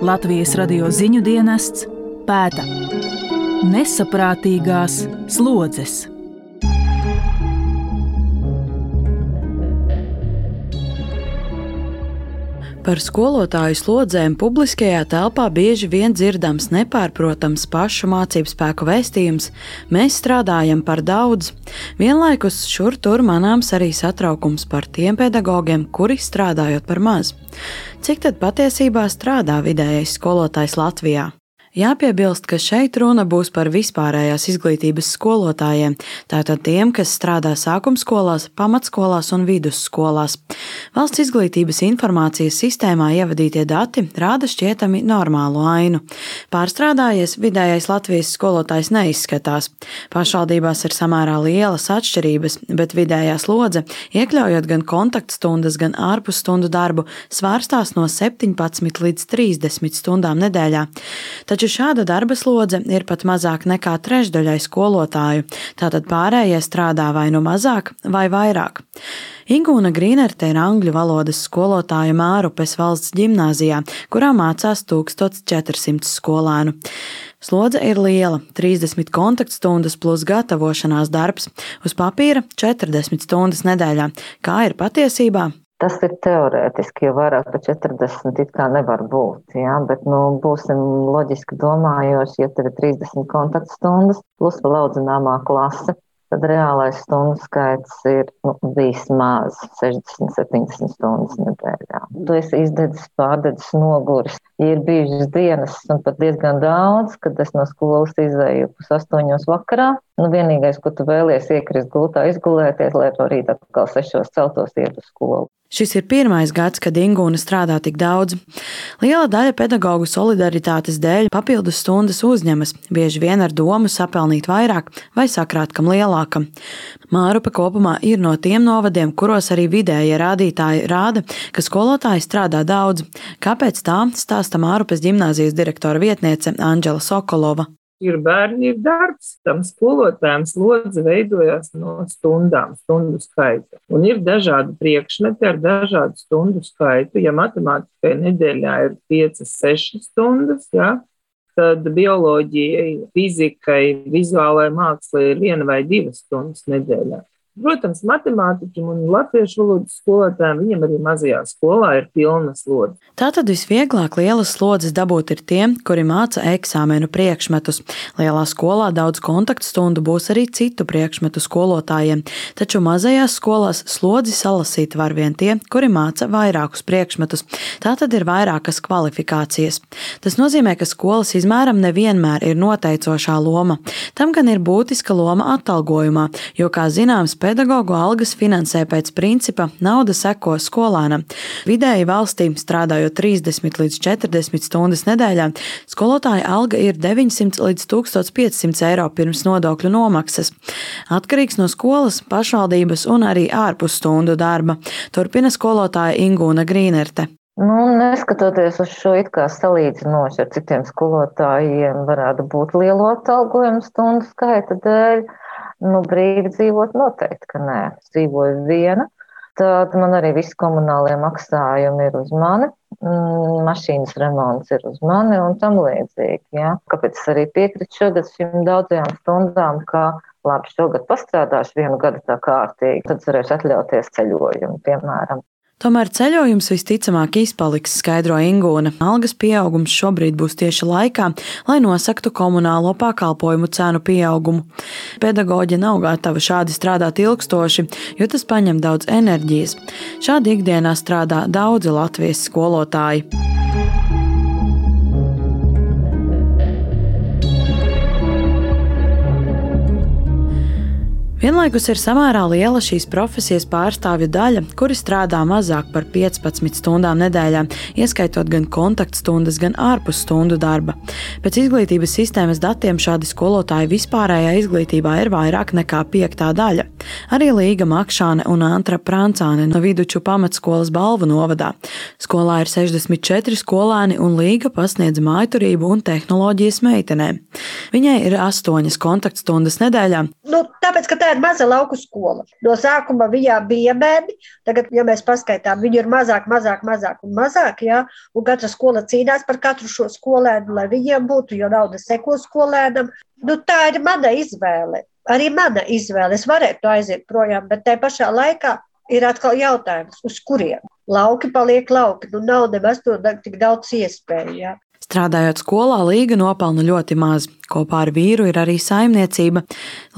Latvijas radio ziņu dienests pēta nesaprātīgās slodzes. Par skolotāju slodzēm publiskajā telpā bieži vien dzirdams nepārprotams pašu mācību spēku vēstījums "Mēs strādājam par daudz". Vienlaikus šur tur manāms arī satraukums par tiem pedagogiem, kuri strādājot par maz. Cik tad patiesībā strādā vidējais skolotājs Latvijā? Jāpiebilst, ka šeit runa būs par vispārējās izglītības skolotājiem, tātad tiem, kas strādā sākumskolās, pamatskolās un vidusskolās. Valsts izglītības informācijas sistēmā ievadītie dati rāda šķietami normālu ainu. Pārstrādājies vidējais Latvijas skolotājs neizskatās. Pašvaldībās ir samērā lielas atšķirības, bet vidējā slodze, iekļaujot gan kontaktstundas, gan ārpusstundu darbu, svārstās no 17 līdz 30 stundām nedēļā. Taču šāda darba slodze ir pat mazāk nekā trešdaļai skolotāju, tātad pārējie strādā vai nu mazāk vai vairāk. Ingūna Grīnerte ir angļu valodas skolotāja Mārupes valsts ģimnāzijā, kurā mācās 1400 skolēnu. Slodze ir liela – 30 kontaktstundas plus gatavošanās darbs, uz papīra 40 stundas nedēļā. Kā ir patiesībā? Tas ir teorētiski, jo vairāk par 40 it kā nevar būt, jā, bet būsim loģiski domājoši, ja tev ir 30 kontaktstundas plus vēl audzināmā klase, tad reālais stundu skaits ir vismaz 60-70 stundas nedēļā. Tu esi izdedzis, pārdedzis, noguris. Ja ir bijušas dienas un pat diezgan daudz, kad es no skolas izēju 8:00 vakarā, vienīgais, ko tu vēlies, iekrist gultā, izgulēties, lai to rīt atkal 6:00 celtos iet uz skolu. Šis ir pirmais gads, kad Ingūna strādā tik daudz. Liela daļa pedagogu solidaritātes dēļ papildus stundas uzņemas, bieži vien ar domu sapelnīt vairāk vai sakrāt kam lielākam. Mārupe kopumā ir no tiem novadiem, kuros arī vidējie rādītāji rāda, ka skolotāji strādā daudz. Kāpēc tā, stāsta Mārupes ģimnāzijas direktora vietniece Andžela Sokolova. Ir bērni, ir darbs, tam skolotājiem slodze veidojās no stundām, stundu skaita. Un ir dažādi priekšmeti ar dažādu stundu skaitu. Ja matemātikai nedēļā ir 5-6 stundas, ja, tad bioloģijai, fizikai, vizuālai mākslai ir 1 vai 2 stundas nedēļā. Protams, matemātiķim un latviešu valodas skolotājiem, viņam arī mazajā skolā ir pilna slodze. Tātad visvieglāk lielas slodzes dabūt ir tiem, kuri māca eksāmenu priekšmetus. Lielā skolā daudz kontaktstundu būs arī citu priekšmetu skolotājiem, taču mazajās skolās slodzi salasīt var vien tie, kuri māca vairākus priekšmetus. Tātad ir vairākas kvalifikācijas. Tas nozīmē, ka skolas izmēram nevienmēr ir noteicošā loma. Tam gan ir būtiska loma atalgojumā, jo, kā zināms, pedagogu algas finansē pēc principa nauda seko skolēnam. Vidēji valstī, strādājot 30 līdz 40 stundas nedēļā, skolotāja alga ir 900 līdz 1500 eiro pirms nodokļu nomaksas. Atkarīgs no skolas, pašvaldības un arī ārpusstundu darba. Turpina skolotāja Ingūna Grīnerte. Neskatoties uz šo it kā salīdzinoši ar citiem skolotājiem, varētu būt lielo atalgojumu stundu skaita dēļ. Brīvi dzīvot noteikti, ka nē. Es dzīvoju viena, tad man arī visi komunālie maksājumi ir uz mani, mašīnas remonts ir uz mani un tam līdzīgi. Ja? Kāpēc es arī piekritu šogad šīm daudzajām stundām, ka labi, šogad pastrādāšu 1 gadu tā kārtīgi, tad varēšu atļauties ceļojumu, piemēram. Tomēr ceļojums visticamāk izpaliks, skaidro Ingūna. Algas pieaugums šobrīd būs tieši laikā, lai nosaktu komunālo pakalpojumu cenu pieaugumu. Pedagoģi nav gatavi šādi strādāt ilgstoši, jo tas paņem daudz enerģijas. Šādi ikdienā strādā daudzi Latvijas skolotāji. Vienlaikus ir samērā liela šīs profesijas pārstāvju daļa, kuri strādā mazāk par 15 stundām nedēļā, ieskaitot gan kontaktstundas, gan ārpusstundu darba. Pēc izglītības sistēmas datiem šādi skolotāji vispārējā izglītībā ir vairāk nekā 5. daļa. Arī Līga Makšāne un Antra Prancāne no Viduču pamatskolas Balvu novadā. Skolā ir 64 skolēni un Līga pasniedz mājturību un tehnoloģijas meitenēm. Viņai ir 8 kontaktstundas nedēļā. Tāpēc, ka tā ir maza lauku skola. No sākuma viņā bija bērni, tagad, ja mēs paskaitām, viņi ir mazāk, jā, un katra skola cīnās par katru šo skolēnu, lai viņiem būtu, jo nauda seko skolēnam. Tā ir mana izvēle. Arī mana izvēle. Es varētu aiziet projām, bet tajā pašā laikā ir atkal jautājums, uz kuriem? Lauki paliek lauki, nav nemaz to tik daudz iespēju, jā. Strādājot skolā, Līga nopelna ļoti maz. Kopā ar vīru ir arī saimniecība.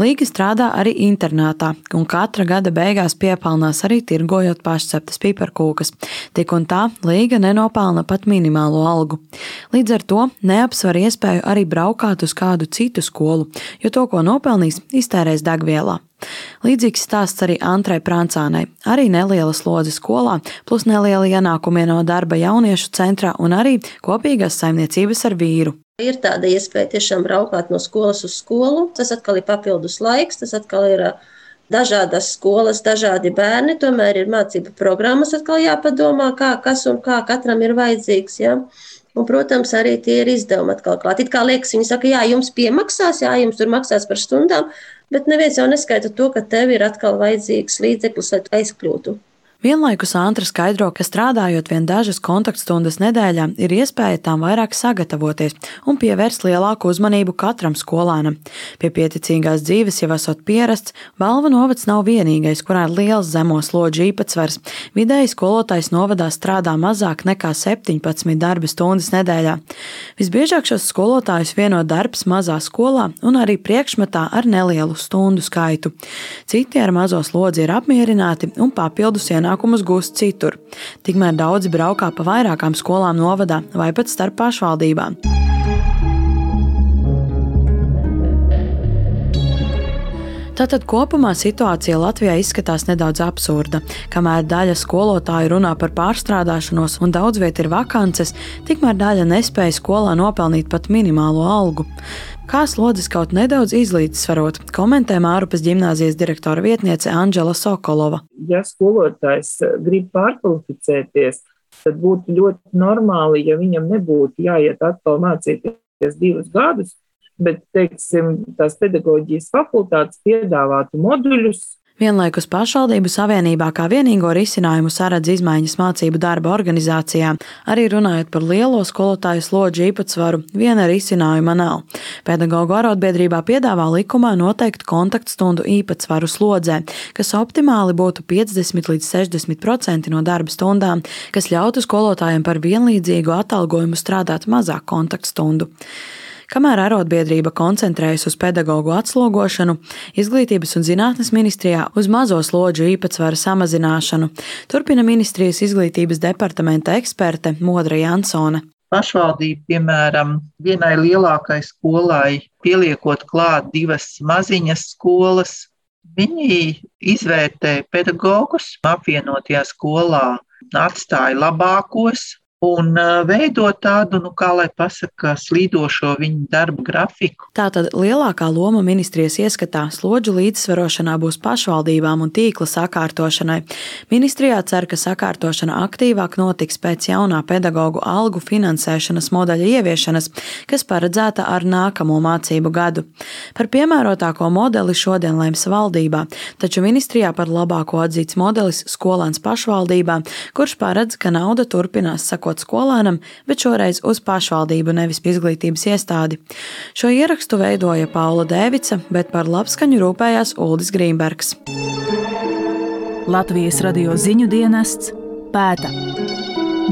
Līga strādā arī internātā, un katra gada beigās piepelnās arī tirgojot pašceptas piparkūkas. Tik un tā Līga nenopelna pat minimālo algu. Līdz ar to neapsver iespēju arī braukāt uz kādu citu skolu, jo to, ko nopelnīs, iztērēs degvielā. Līdzīgs stāsts arī Antrai Prancānai. Arī neliela slodze skolā, plus neliela ienākumi no darba jauniešu centrā un arī kopīgās saimniecības ar vīru. Ir tāda iespēja tiešām braukāt no skolas uz skolu. Tas atkal ir papildus laiks, tas atkal ir dažādas skolas, dažādi bērni. Tomēr ir mācību programmas atkal jāpadomā, kas un kā katram ir vajadzīgs. Ja? Un, protams, arī tie ir izdevumi atkal klāt. It kā liekas, viņi saka, jā, jums piemaksās, jā, jums tur maksās par stundām, bet neviens jau neskaita to, ka tev ir atkal vajadzīgs līdzeklis, lai aizkļūtu. Vienlaikus Antra skaidro, ka strādājot vien dažas kontaktstundas nedēļā, ir iespēja tām vairāk sagatavoties un pievērst lielāku uzmanību katram skolēnam. Pie pieticīgās dzīves jau esot pierasts, Valva novads nav vienīgais, kurā ir liels zemo slodžu īpatsvars. Vidēji skolotājs novadā strādā mazāk nekā 17 darba stundas nedēļā. Visbiežāk šos skolotājus vieno darbs mazā skolā un arī priekšmetā ar nelielu stundu skaitu. Citi ar mazo slodzi ir apmierināti un papildus ienākumus gūst citur. Tikmēr daudzi braukā pa vairākām skolām novadā vai pat starp pašvaldībām. Tātad kopumā situācija Latvijā izskatās nedaudz absurda. Kamēr daļa skolotāju runā par pārstrādāšanos un daudz viet ir vakances, tikmēr daļa nespēja skolā nopelnīt pat minimālo algu. Kā slodzes kaut nedaudz izlīdzsvarot, komentē Mārupes ģimnāzijas direktora vietniece Andžela Sokolova. Ja skolotājs grib pārkvalificēties, tad būtu ļoti normāli, ja viņam nebūtu jāiet atkal mācīties 2 gadus, bet, teiksim, tās pedagoģijas fakultātes piedāvātu moduļus. Vienlaikus pašvaldību savienībā kā vienīgo risinājumu saredz izmaiņas mācību darba organizācijā. Arī runājot par lielo skolotāju slodžu īpatsvaru, viena risinājuma nav. Pedagoģu arotbiedrībā piedāvā likumā noteikt kontaktstundu īpatsvaru slodzē, kas optimāli būtu 50 līdz 60% no darba stundām, kas ļautu skolotājiem par vienlīdzīgu atalgojumu strādāt mazāk kontaktstundu. Kamēr arotbiedrība koncentrējas uz pedagoģu atslogošanu, Izglītības un zinātnes ministrijā uz mazo slodžu īpatsvaru samazināšanu, turpina ministrijas izglītības departamenta eksperte Modra Jansone. Pašvaldība, piemēram, vienai lielākai skolai pieliekot klāt 2 maziņas skolas, viņi izvērtē pedagogus, apvienotajā skolā atstāja labākos, un veidot tādu, kā lai pasaka, slīdošo viņu darbu grafiku. Tātad lielākā loma ministrijas ieskatā slodžu līdzsvarošanā būs pašvaldībām un tīkla sakārtošanai. Ministrijā cer, ka sakārtošana aktīvāk notiks pēc jaunā pedagoģu algu finansēšanas modeļa ieviešanas, kas paredzēta ar nākamo mācību gadu. Par piemērotāko modeli šodien lems valdībā, taču ministrijā par labāko atzīts modelis skolēns pašvaldībā, kurš paredz, ka nauda turpinās sakot skolēnam, bet šoreiz uz pašvaldību, nevis izglītības iestādi. Šo ierakstu veidoja Paula Dēvica, bet par labskaņu rūpējās Uldis Grīmbergs. Latvijas radio ziņu dienests pēta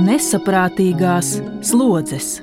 nesaprātīgās slodzes.